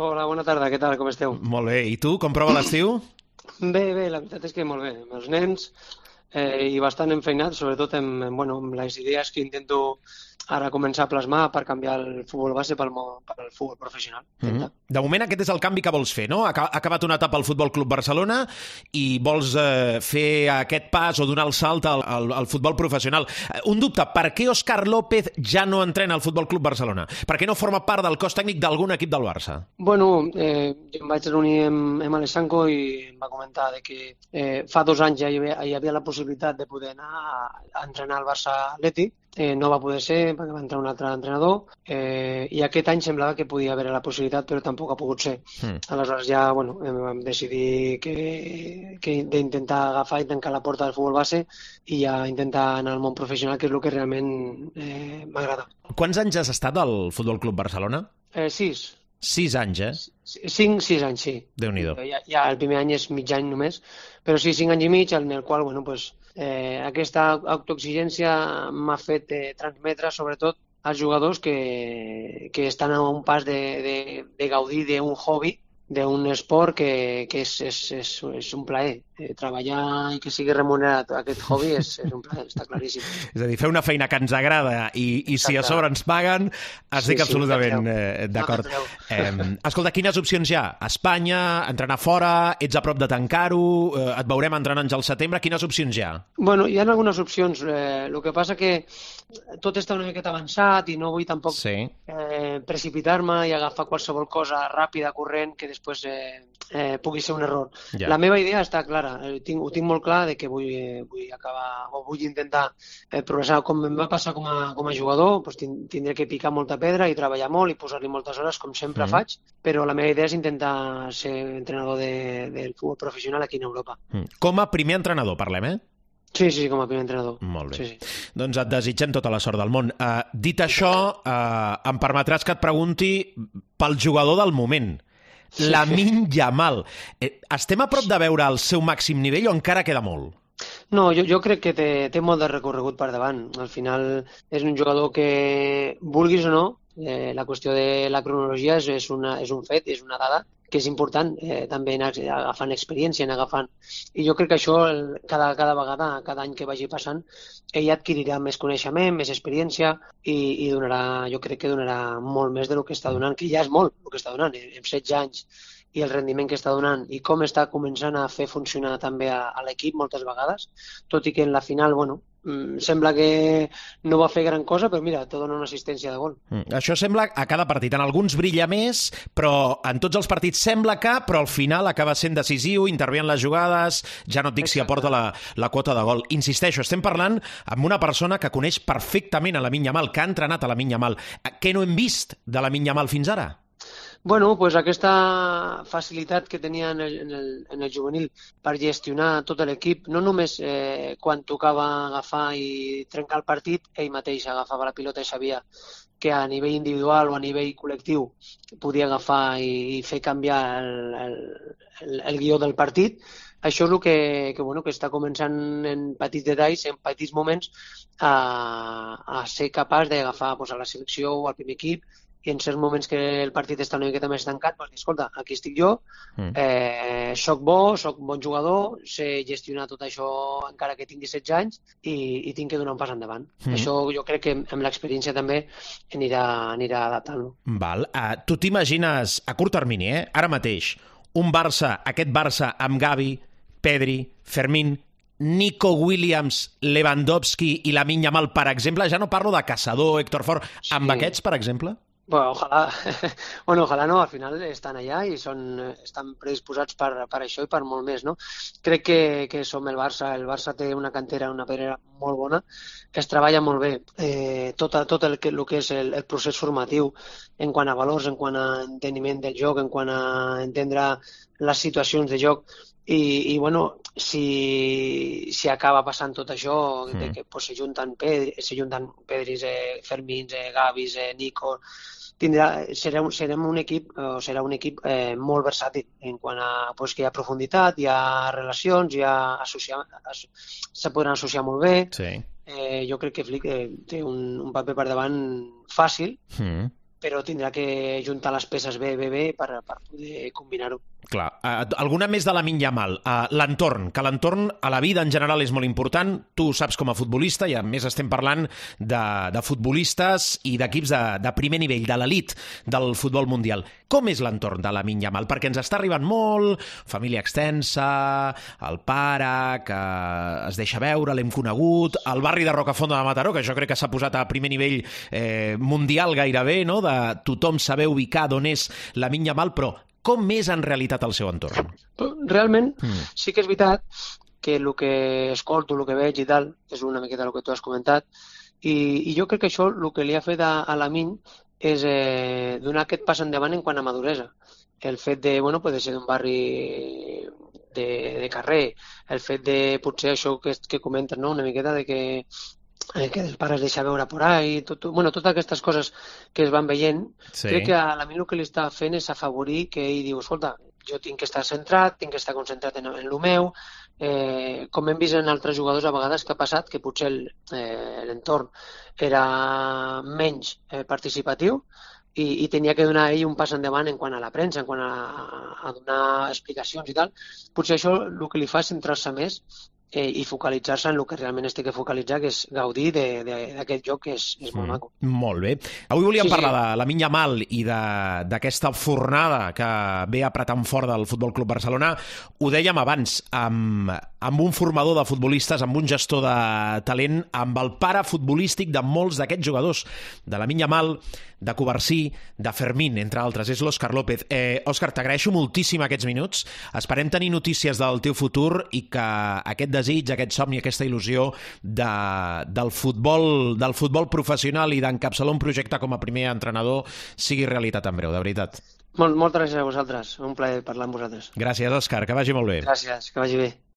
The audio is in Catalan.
Hola, bona tarda, què tal, com esteu? Molt bé, i tu, com prova l'estiu? Bé, la veritat és que molt bé, amb els nens i bastant enfeinat, sobretot amb les idees que intento ara començar a plasmar per canviar el futbol base pel futbol professional. De moment aquest és el canvi que vols fer, no? Ha acabat una etapa al Futbol Club Barcelona i vols fer aquest pas o donar el salt al futbol professional. Un dubte, per què Òscar López ja no entrena al Futbol Club Barcelona? Per què no forma part del cos tècnic d'algun equip del Barça? Bueno, jo em vaig reunir amb Alessanco i em va comentar que fa 2 anys ja hi havia la possibilitat de poder anar a entrenar al Barça Atlètic. No va poder ser perquè va entrar un altre entrenador i aquest any semblava que podia haver la possibilitat, però tampoc ha pogut ser. Aleshores ja vam decidir d'intentar agafar i tancar la porta del futbol base i ja intentar anar al món professional, que és el que realment m'agrada. Quants anys has estat al Futbol Club Barcelona? 6. 6 anys, eh? 5-6 anys, sí. Déu-n'hi-do. Ja el primer any és mig any només, però sí, 5 anys i mig, en el qual, aquesta autoexigència m'ha fet transmetre, sobretot, als jugadors que estan a un pas de gaudir d'un hobby, d'un esport que és un plaer. Treballar i que sigui remunerat aquest hobby és un plaer, està claríssim. És a dir, fer una feina que ens agrada i si a sobre ens paguen, estic absolutament d'acord. Escolta, quines opcions hi ha? Espanya, entrenar fora, ets a prop de tancar-ho, et veurem entrenant ja al setembre, quines opcions hi ha? Bueno, hi ha algunes opcions, el que passa que tot està una miqueta avançat i no vull tampoc precipitar-me i agafar qualsevol cosa ràpida, corrent, que després pugui ser un error. La meva idea està clara, ho tinc molt clar de que vull acabar o vull intentar progressar. Com em va passar com a jugador, tindré que picar molta pedra i treballar molt i posar-li moltes hores, com sempre faig, però la meva idea és intentar ser entrenador del futbol professional aquí en Europa. Com a primer entrenador, parlem, Sí, com a primer entrenador. Molt bé. Sí. Doncs et desitgem tota la sort del món. Dit això, em permetràs que et pregunti pel jugador del moment, Lamine Yamal. Estem a prop de veure el seu màxim nivell o encara queda molt? No, jo crec que té molt de recorregut per davant. Al final és un jugador que, vulguis o no, la qüestió de la cronologia és un fet, és una dada que és important, també anar agafant experiència, I jo crec que això, cada vegada, cada any que vagi passant, ell adquirirà més coneixement, més experiència i jo crec que donarà molt més del que està donant, que ja és molt el que està donant, en 16 anys, i el rendiment que està donant i com està començant a fer funcionar també a l'equip moltes vegades, tot i que en la final, sembla que no va fer gran cosa, però mira, te dona una assistència de gol. Això sembla a cada partit. En alguns brilla més, però en tots els partits sembla que, però al final acaba sent decisiu, intervé en les jugades, ja no et dic si aporta la quota de gol. Insisteixo, estem parlant amb una persona que coneix perfectament a Lamine Yamal, que ha entrenat a Lamine Yamal. Què no hem vist de Lamine Yamal fins ara? Bueno, aquesta facilitat que tenia en el juvenil per gestionar tot l'equip, no només quan tocava agafar i trencar el partit, ell mateix agafava la pilota i sabia que a nivell individual o a nivell col·lectiu podia agafar i fer canviar el guió del partit. Això és el que està començant en petits detalls, en petits moments, a ser capaç d'agafar a la selecció o al primer equip, i en certs moments que el partit està una miqueta més tancat, dir, escolta, aquí estic jo, soc bon jugador, sé gestionar tot això encara que tingui 16 anys i tinc que donar un pas endavant. Això jo crec que amb l'experiència també anirà adaptant-lo. Val. Tu t'imagines, a curt termini, ara mateix, aquest Barça amb Gavi, Pedri, Fermín, Nico Williams, Lewandowski i Lamine Yamal, per exemple? Ja no parlo de Caçador, Héctor Fort, amb aquests, per exemple? Bueno, ojalà no, al final estan allà i estan predisposats per això i per molt més, no? Crec que som el Barça té una cantera, una pedrera molt bona, es treballa molt bé tot el que és el procés formatiu en quant a valors, en quant a enteniment del joc, en quant a entendre les situacions de joc. I si acaba passant tot això, que se junten Pedris, Fermins, Gavis, Nico, serem un equip molt versàtil en quant a que hi ha profunditat, hi ha relacions, se podran associar molt bé. Jo crec que Flick té un paper per davant fàcil però tindrà que juntar les peces bé per poder combinar-ho. Clar. Alguna més de Lamine Yamal. L'entorn, que l'entorn a la vida en general és molt important. Tu ho saps com a futbolista i a més estem parlant de futbolistes i d'equips de primer nivell, de l'elit del futbol mundial. Com és l'entorn de Lamine Yamal? Perquè ens està arribant molt, família extensa, el pare que es deixa veure, l'hem conegut, el barri de Rocafonda de Mataró, que jo crec que s'ha posat a primer nivell mundial gairebé, no? De tothom saber ubicar d'on és Lamine Yamal, però com és en realitat el seu entorn? Realment, sí que és veritat que el que escolto, el que veig i tal, és una miqueta el que tu has comentat, i jo crec que això el que li ha fet a Lamine és donar aquest pas endavant en quant a maduresa. El fet de, de ser d'un barri de carrer, el fet de potser això que comentes, no? Una miqueta de que el pare es deixa veure por ahí, totes aquestes coses que es van veient, sí. Crec que a mi el que li està fent és afavorir que ell diu, escolta, jo tinc que estar centrat, tinc que estar concentrat en el meu, com hem vist en altres jugadors a vegades que ha passat, que potser l'entorn era menys participatiu i tenia que donar ell un pas endavant en quant a la premsa, en quant a donar explicacions i tal. Potser això el que li fa és centrar-se més i focalitzar-se en el que realment es té que focalitzar, que és gaudir d'aquest joc que és molt maco. Molt bé. Avui volíem parlar de Lamine Yamal i d'aquesta fornada que ve apretant fort del Futbol Club Barcelona. Ho dèiem abans, amb un formador de futbolistes, amb un gestor de talent, amb el pare futbolístic de molts d'aquests jugadors, de Lamine Yamal, de Covarsí, de Fermín, entre altres. És l'Òscar López. Òscar, t'agraeixo moltíssim aquests minuts. Esperem tenir notícies del teu futur i que aquest desig, aquest somni, aquesta il·lusió del futbol professional i d'encapçalar un projecte com a primer entrenador sigui realitat en breu, de veritat. Moltes gràcies a vosaltres. Un plaer parlar amb vosaltres. Gràcies, Òscar. Que vagi molt bé. Gràcies. Que vagi bé.